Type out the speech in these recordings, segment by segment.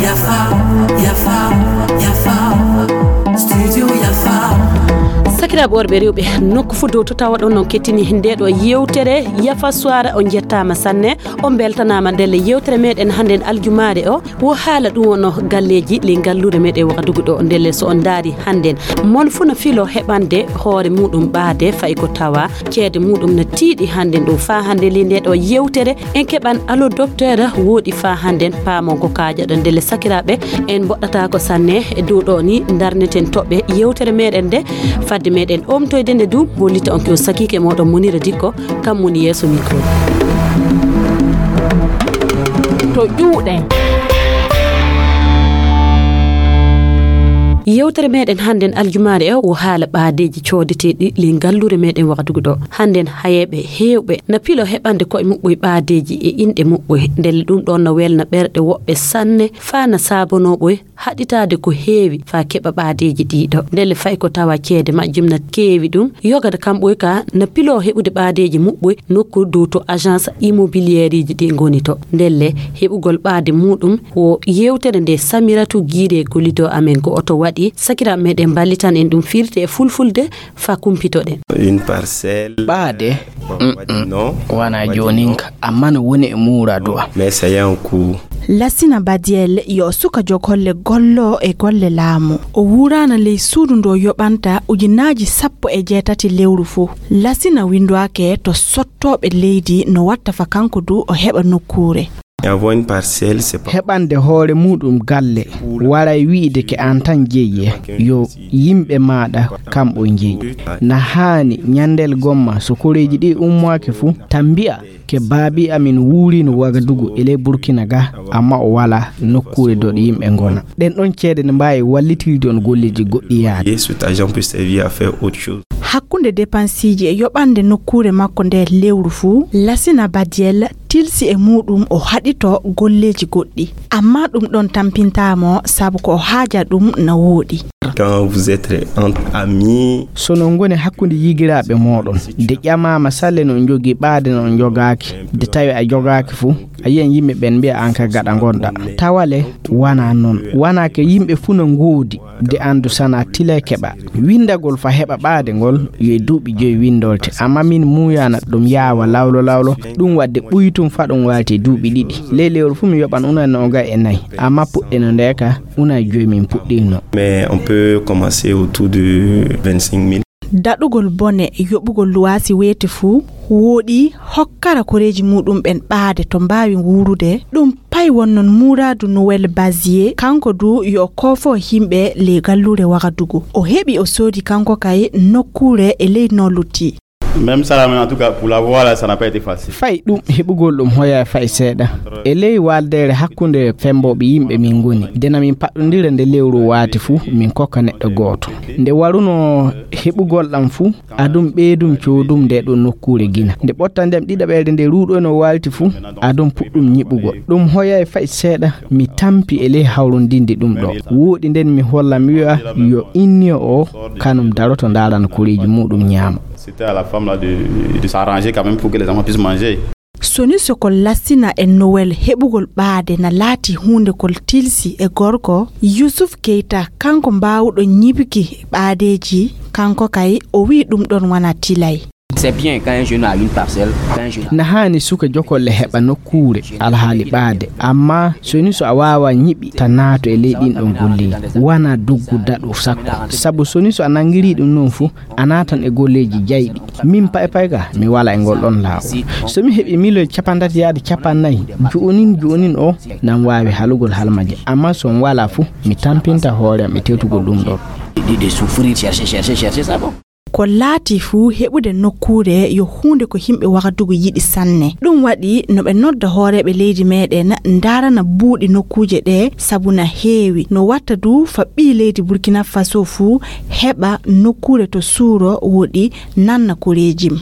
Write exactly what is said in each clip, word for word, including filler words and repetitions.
Yafa, yafa, yafa. Studio yafa. Sakiraaɓe worɓe, rewɓe, nokku fof dow to tawa ɗon on kettini nde ɗo yewtere Yafa Suwara. On njettaama sanne, on mbeltanaama ndelle yewtere meɗen hannden aljumaare o. Wo haala ɗum wonno galleeji ley ngalluure meɗen Wagadugu ɗo. Ndelle so on ndaari hannden, mon fof no filo heɓande hoore muɗum ɓaade, fayi ko tawa ceede muɗum no tiiɗi hannden ɗo. Faa hannde ley nde ɗo yewtere, en keɓan Allo Docteur, wooɗi faa hannden paamon ko kaajaɗon. Ndelle sakiraaɓe, en mboɗɗataako sanne e dow ɗo ni, ndarneten toɓɓe yewtere meɗen nde, fadde meɗen omtoyde nde du, hollita on ko sakiike moɗon Munira Dikko, kam woni yeeso micro. To ƴuuɗen. Yewtere meɗen hannden aljumaare o wo haala ɓaadeeji coodeteeɗi ley ngalluure meɗen Wagadugu ɗo. Hannden hayeeɓe heewɓe na pilo heɓande koye muɓɓoy ɓaadeeji e inɗe muɓɓoy. Ndelle ɗum ɗon no welna ɓerɗe woɓɓe sanne, faa na saabonoo ɓoy haɗitaade ko heewi faa keɓa ɓaadeeji ɗiɗo. Ndelle fay ko tawa ceede majjum na keewi ɗum, yogata kam ɓoy ka na pilo heɓude ɓaadeeji muɓɓoy nokku dow to agence immobilièreji ɗi ngoni to. Ndelle heɓugol ɓaade muɗum wo yewtere nde Samiratu Giire gollido amen ko oto waɗi. Sakiraaɓe meɗen mballitan en ɗum firti e fulfulde faa kumpitoɗen. Une parcelle. Ɓaade? Mm-mm. Wana jooninka, amma no woni e muuraadu am. Mais ça y a un coût. Lasina Badiel yo suka jogolle gollo e golle laamu. O wuuraana ley suudu ndo yoɓanta ujunaaji sappo e jeetati lewru fuu. Lasina winndwaake to sottooɓe leydi no watta fa kanko du o heɓa nokkuure. Avoir une parcelle, c'est pas. Heɓande hoore muɗum galle, waray wi'ide ke an tan jeyi, yo yimɓe maaɗa kamɓe njeyi. Na haani ñandel gomma so koreeji ɗi ummaaki fu, tan mbi'a ke baabi amin wuurino Wagadugu e ley Burkina ga, amma o wala nokkuure dow ɗo yimɓe ngona. Ɗen ɗon ceede ne mbaawi wallitirde on golleeji goɗɗi yaade. Et cet argent peut servir à faire autre chose. Hakkunde depansiiji e yoɓande nokkuure makko nde lewru fuu, Lasina Badiel tilsi e muɗum o haɗito golleeji goɗɗi. Amma ɗum ɗon tampintaa mo, sabu ko o haaja ɗum na wooɗi. Quand vous êtes entre amis. So no ngoni hakkunde yigiraaɓe mooɗon, de ƴamaama salle no njogii ɓaade no njogaaki, de tawi a jogaaki fu, a yiyan yimɓe ɓen mbi'a an ka gaɗa ngonɗa. Tawale, wana non. Wana ke yimɓe fu no ngoodi. De anndu sana tilay keɓa. Winndagol fa heɓa ɓaade ngol, yo e duuɓi joyi winndolte. Amma min muuyana ɗum yaawa lawlo lawlo, ɗum waɗde ɓuytum fa ɗum waalti duuɓi ɗiɗi. Ley lewru fu mi yoɓan unan nooga e nayi. Amma puɗɗeno nde ka, unan joyi min puɗɗino. Mais on peut commencer autour de vingt-cinq mille. Daɗugol bone yoɓugol luwaasi weeti fuu, wooɗi hokkara koreeji muɗum ɓen ɓaade to mbaawi wuurude. Ɗum pay wonnon muuraadu Noël Bazier, kanko du yo koofo himɓe ley galluure Wagadugu. O heɓi o soodi kanko kay nokkuure e ley no lutti. Même ça, là, en tout cas, pour l'avoir, là, ça n'a pas été facile. Fay ɗum heɓugol ɗum hoya fay seeɗa. E ley waaldeere hakkunde fembooɓe yimɓe min ngoni. Dena min paɗɗondira nde lewru waati fu, min kokka neɗɗo gooto. Nde waruno heɓugol ɗam fu, adum ɓeydum coodum nde ɗo nokkuure gina. Nde ɓottandem ɗiɗaɓeere nde ruuɗoyno waalti fu, adum puɗɗum ñiɓugol. Ɗum hoyay fay seeɗa, mi tampi e ley hawrondinde ɗum ɗo. Wooɗi nden mi holla mi wi'a yo inni o kanum daroto ndaarana koreeji muɗum ñaama. C'était à la femme là de, de s'arranger quand même pour que les enfants puissent manger. Soni sokol Lassina e Nowel heɓugol ɓaade na laati huunde kol tilsi e gorko, Yusuf Keita, kanko mbaawuɗo ñiɓki ɓaadeeji, kanko kay o wi'i ɗum ɗon wana tilay. C'est bien quand un jeune a une parcelle, quand un jeune a... Na haani suka jokolle heɓa nokkuure alhaali ɓaade, amma soni so a waawa ñiɓi ta naato e ley ɗin ɗon golleeji, wana duggu daɗu sakko. Sabu soni so a nanngirii ɗum non fu, a naatan e golleeji jayɗi. Min pay pay ka, mi wala e ngol ɗon laawol. So mi heɓi miliyon capantati yaade capannay, jo'onin jo'onin o, nan waawi halugol halmaje. Amma so mi wala fu, mi tampinta hoore am e tewtugol ɗum ɗon. De, de souffrir, chercher, chercher, chercher, ça bon. Ko laati fuu, heɓude nokkuure yo huunde ko yimɓe Wagadugu yiɗi sanne. Ɗum waɗi no ɓe nodda hooreeɓe leydi meeɗen ndaarana buuɗi nokkuuje ɗe, sabu na heewi. No watta du fa ɓii leydi Burkina Faso fuu heɓa nokkuure to suuro woɗi nanna koreejim.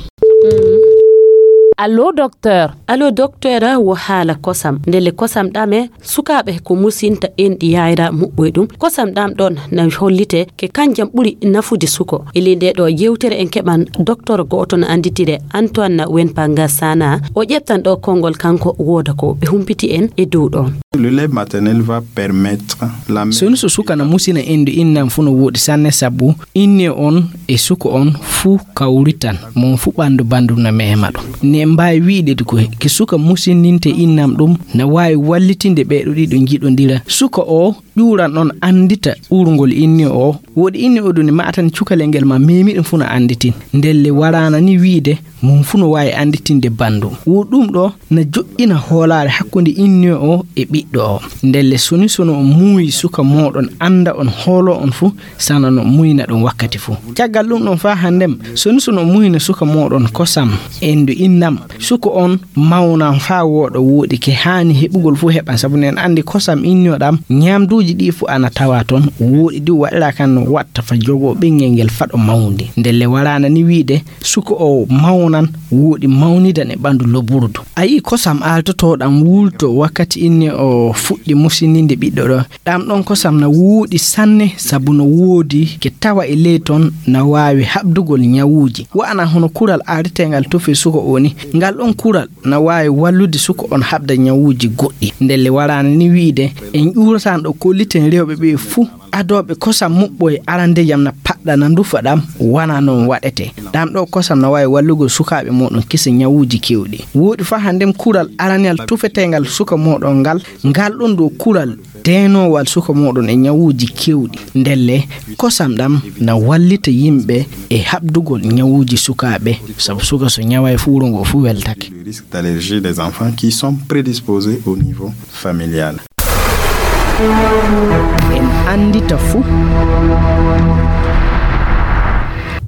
Allo, docteur. Allo, docteur, wo haala kosam. Ndelle kosam ɗam e sukaaɓe ko musinta enɗi yayra muɓɓoy ɗum. Kosam ɗam ɗon na hollite ke kanjam ɓuri nafude suko. E ley nde ɗo yewtere en keɓan docteur go'oto na annditire Antoine Wenpanga Sana. O ƴettan ɗo konngol kanko wooda ko ɓe humpiti en e dow ɗo. Le lait maternel va permettre la... Soni so suka na musina enɗi innam fu no wooɗi sanne sabu inne on e suko on fu kawritan mon fu ɓandu bandu na mema ɗum. Ne mbaawi wi'de ko ke suka musininte innam ɗum na waawi wallitinde ɓe ɗo ɗiɗo njiɗondira. Suka o ƴuuran on anndita ɓurngol inne o. Wooɗi inne o ɗum matan cukalel ngel ma memi ɗum fu na annditin. Ndelle waraana ni wi'de mum fu no waawi annditinde bandu. Wo ɗum ɗo na joƴƴina hoolaare hakkunde inne o e ɓiɗɗo o. Ndelle soni sono on muuyi suka mooɗon annda on hoolo on fu sana no muyna ɗum wakkati fu. Caggal ɗum ɗon faa hanndem, soni sono muyna suka mooɗon kosam enɗi innam, suka on mawnan faa wooɗa wooɗi ke haani heɓugol fu heɓan, sabu nen anndi kosam inne o ɗam, ñamduuji ɗi fu ana tawa ton, wooɗi ɗi waɗira kan no watta fa jogo ɓinngel ngel faɗo mawndi. Ndelle waraana ni wi'de, suka o mawnan, wooɗi mawnidan e ɓandu loburdu. A yi'i kosam aaltotoɗam wulto wakkati inne o fuɗɗi musininde ɓiɗɗo ɗo. Ɗam ɗon kosam na wooɗi sanne, sabu no woodi ke tawa e ley ton na waawi haɓdugol ñawuuji. Wa'ana hono kural aariteengal tufe suka o ni. Ngal ɗon kural na waawi wallude suka on haɓda ñawuuji goɗɗi. Ndelle waraana ni wi'de, en ƴuuratan ɗo kolliten rewɓe ɓe fuu adooɓe kosam muɓɓoy arandejam na paɗɗa na ndufa ɗam, wana non waɗete. Ɗam ɗo kosam na waawi wallugol sukaaɓe mooɗon kisa ñawuuji kewɗi. Wooɗi faa hanndem kural araneyal tufeteengal suka mooɗon ngal, ngal ɗon ɗo kural deenowal suka mooɗon e ñawuuji kewɗi. Ndelle, kosam ɗam na wallita yimɓe e haɓdugol ñawuuji sukaaɓe, sabu suka so ñaway fu wuro ngo fu weltake. Le risque d'allergie des enfants qui sont prédisposés au niveau familial. En anndita fuu.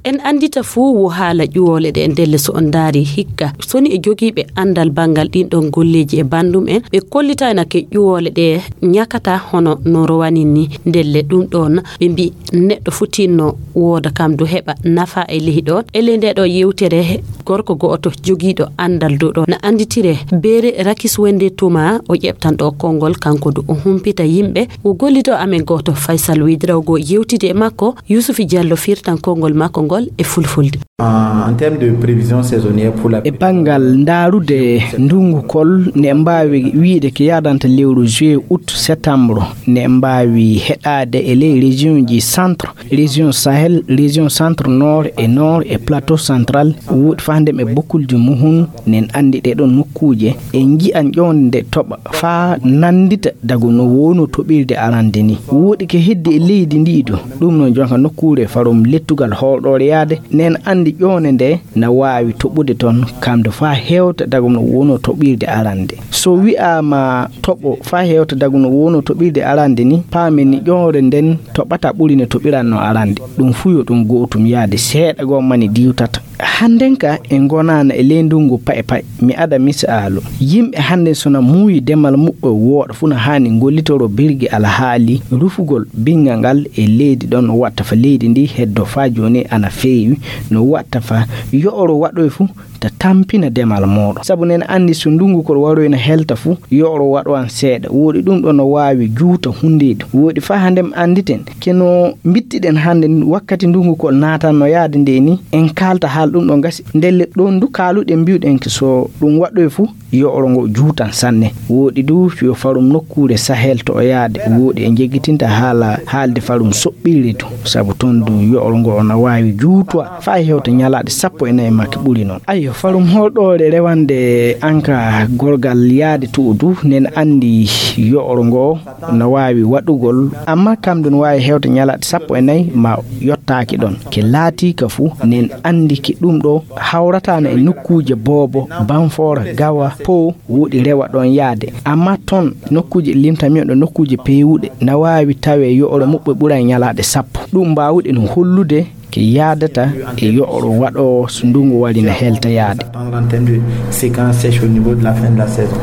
En anndita fuu wo haala ƴuwoole ɗe. Ndelle so on ndaari hikka, soni e jogiiɓe anndal banngal ɗin ɗon golleeji e banndum en, ɓe kollitayna ke ƴuwoole ɗe ñakata hono no rowani ni. Ndelle ɗum ɗon ɓe mbi neɗɗo futinno wooda kam du heɓa nafa e lehi ɗon. E ley nde ɗo yewtere, gorko go'oto jogiiɗo anndal dow ɗo na annditire Beere Rakis Wende Tuma, o ƴeɓtan ɗo konngol, kanko du o humpita yimɓe. O gollido amen go'oto Faysal Widra, o go yewtide e makko. Yusufi Diallo firtan konngol makko ngol e fulfulde. En termes de prévision saisonnière pour la... E banngal ndaarude ndunngu kol, ne mbaawi wi'de ke yaadanta lewru juillet, août, septembre, ne mbaawi heɗaade e ley région ji centre, région Sahel, région centre nord e nord e plateau central, woɗi faa ndem e bokkulji muhun. Nen anndi ɗee ɗon nokkuuje, en nji'an ƴoonde nde toɓa faa nanndita dago no woono toɓirde arande ni. Woɗi ke heddi e leydi ndii du, ɗum noon jonka nokkuure farum lettugal hoolɗoore yaade, nen anndi ƴoone nde na waawi toɓude toon, kamde faa hewta dago no woono toɓirde arande. So wi'aama toɓo faa hewta dago no woono toɓirde arande ni, paamen ni ƴoore nden toɓata ɓuri no toɓiranno arande. Ɗum fuu yo ɗum gootum yaade seeɗa goo mani diwtata. Hannden ka en ngonaana e ley ndunngu paye paye. Mi ada misaalu. Yimɓe hannden so na muuyi demal muɓɓe wooɗa fuu na haani ngollitoro birgi alhaali rufugol binnga ngal e leydi ɗon watta fa leydi ndi heddo faa jooni ana feewi no watta fa yo'oro waɗoy fuu ta tampina demal mooɗon. Sabu nen anndi so ndunngu kol waroy na helta fuu, yo'oro waɗo an seeɗa. Woɗi ɗum ɗo no waawi juuta hunndeeji. Woɗi faa hannden annditen, ke no mbittiɗen hannden wakkati ndunngu kol naatanno yaade nde ni, en kaalta haal ɗum ɗo gasi. Ndelle ɗon du kaaluɗen mbi'uɗen ke so ɗum waɗoy fuu, yo'oro ngo juutan sanne. Woɗi du yo farum nokkuure Sahel to o yaade. Woɗi e jeggitinta haala haalde farum soɓɓiire to. Sabu toon du yo'oro ngo na waawi juutwa faa hewta ñalaaɗe sappo e nayi makki ɓuri noon. Ayyo, farum hoolɗoore rewande anka gorgal yaade to o du, nen anndi yo'oro ngo na waawi waɗugol, amma kam du no waawi hewta ñalaaɗe sappo e nayi ma yottaaki ɗon. Ke laatii ka fuu, nen anndi ke ɗum ɗo hawrataana e nokkuuje boobo, banfoora, gawa, po, woɗi rewa ɗon yaade. Amma toon nokkuuje limtami on ɗo nokkuuje peewuɗe na waawi tawee yo'oro muɓɓe ɓuray ñalaaɗe sappo. Ɗum mbaawuɗen hollude ke yaadata e yo'oro waɗoowo so ndunngu wari na helta yaade. Attendre en termes de séquence sèche au niveau de la fin de la saison.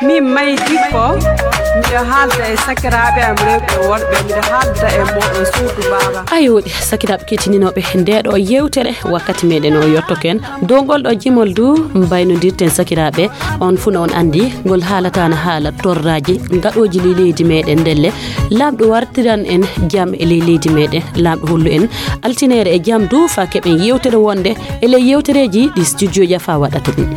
Min mayti ko Miɗo haalda e sakiraaɓe am rewɓe e worɓe, miɗo haalda e mooɗon suudu baaba. Ayo, sakiraaɓe keɗitinooɓe nde ɗo yeewtere, wakkati meɗen o yottoken. Dow ngol ɗo jimol du mbaynodirten sakiraaɓe, on fuu no on anndi ngol haalataana haala torraaji gaɗooji ley leydi meɗen ndelle. Laamɗo wartiran en jam e ley leydi meɗen, Laamɗo hollu en altineere e jam du faa keɓen yeewtere wonde e ley yeewtereeji ɗi studio Yafa waɗata ɗin.